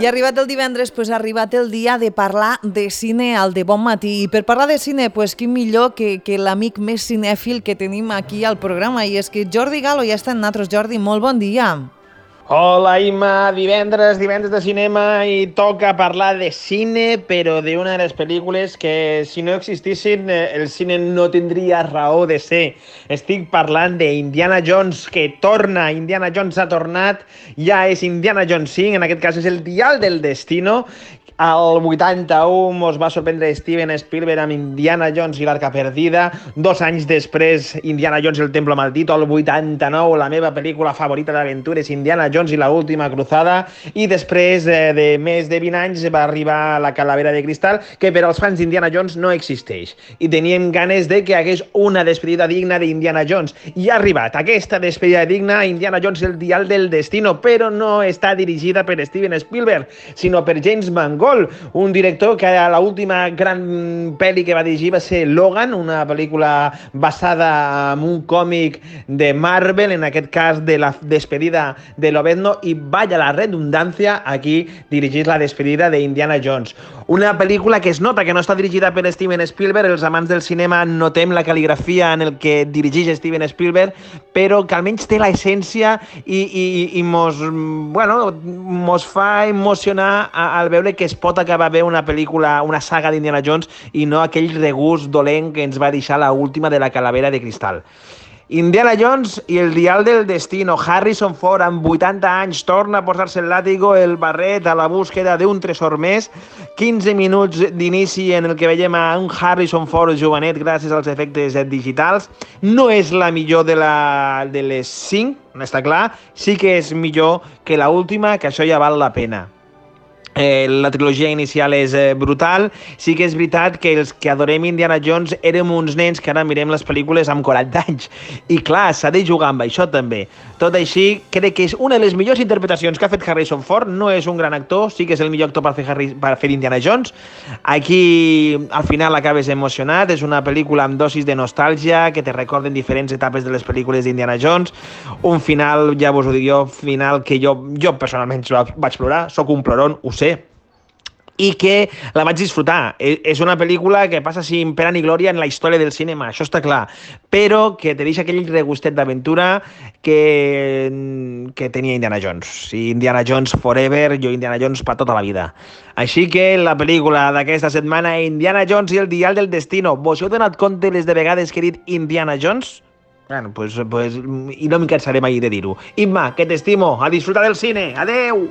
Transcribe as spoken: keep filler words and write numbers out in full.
I arribat el divendres, pues, ha arribat el dia de parlar de cine al De Bon Matí. I per parlar de cine, pues, qui millor que, que l'amic més cinèfil que tenim aquí al programa. I és que Jordi Galo ja està en nosaltres. Jordi, molt bon dia. Hola, Imma, divendres, divendres de cinema i toca parlar de cine, però d'una de les pel·lícules que, si no existissin, el cine no tindria raó de ser. Estic parlant d'Indiana Jones, que torna. Indiana Jones ha tornat, ja és Indiana Jones cinc, en aquest cas és el Dial del Destino. Al vuitanta-u mos va sorprendre Steven Spielberg amb Indiana Jones i l'Arca Perdida. Dos anys després, Indiana Jones i el Templo Maldito. Al vuitanta-nou, la meva pel·lícula favorita d'aventures, Indiana Jones i la Última Cruzada. I després eh, de més de vint anys va arribar la Calavera de Cristal, que per als fans d'Indiana Jones no existeix. I teníem ganes de que hagués una despedida digna d'Indiana Jones. I ha arribat aquesta despedida digna, Indiana Jones i el Dial del Destino, però no està dirigida per Steven Spielberg, sinó per James Mangold, un director que a l'última gran pel·li que va dirigir va ser Logan, una pel·lícula basada en un còmic de Marvel, en aquest cas de la despedida de Lobezno, i vaya la redundància, aquí dirigís la despedida d'Indiana Jones. Una pel·lícula que es nota que no està dirigida per Steven Spielberg, els amants del cinema notem la cal·ligrafia en el que dirigeix Steven Spielberg, però que almenys té l'essència i, i, i mos, bueno, mos fa emocionar al veure que es pot acabar bé una pel·lícula, una saga d'Indiana Jones i no aquell regust dolent que ens va deixar la última de la Calavera de Cristal. Indiana Jones i el Dial del Destino. Harrison Ford, amb vuitanta anys, torna a posar-se el làtigo, el barret, a la búsqueda d'un tresor més. quinze minuts d'inici en el que veiem a un Harrison Ford jovenet gràcies als efectes digitals. No és la millor de, la, de les cinc, no està clar. Sí que és millor que l'última, que això ja val la pena. Eh, la trilogia inicial és eh, brutal. Sí que és veritat que els que adorem Indiana Jones érem uns nens que ara mirem les pel·lícules amb quaranta anys. I clar, s'ha de jugar amb això també. Tot així, crec que és una de les millors interpretacions que ha fet Harrison Ford. No és un gran actor, sí que és el millor actor per fer, Harry, per fer Indiana Jones. Aquí, al final, acabes emocionat. És una pel·lícula amb dosis de nostàlgia que te recorden diferents etapes de les pel·lícules d'Indiana Jones. Un final, ja vos ho dic jo, final que jo, jo personalment vaig plorar. Soc un ploron, ho sé, i que la vaig disfrutar. És una pel·lícula que passa sin pena ni glòria en la història del cinema, això està clar, però que te deixa aquell regustet d'aventura que, que tenia Indiana Jones. I Indiana Jones forever, jo Indiana Jones per tota la vida. Així que la pel·lícula d'aquesta setmana, Indiana Jones i el Dial del Destino. Vos heu donat compte les de vegades que he dit Indiana Jones? Bueno, pues, pues, i no m'hi cansaré mai de dir-ho. Imma, que t'estimo, a disfrutar del cine. Adeu!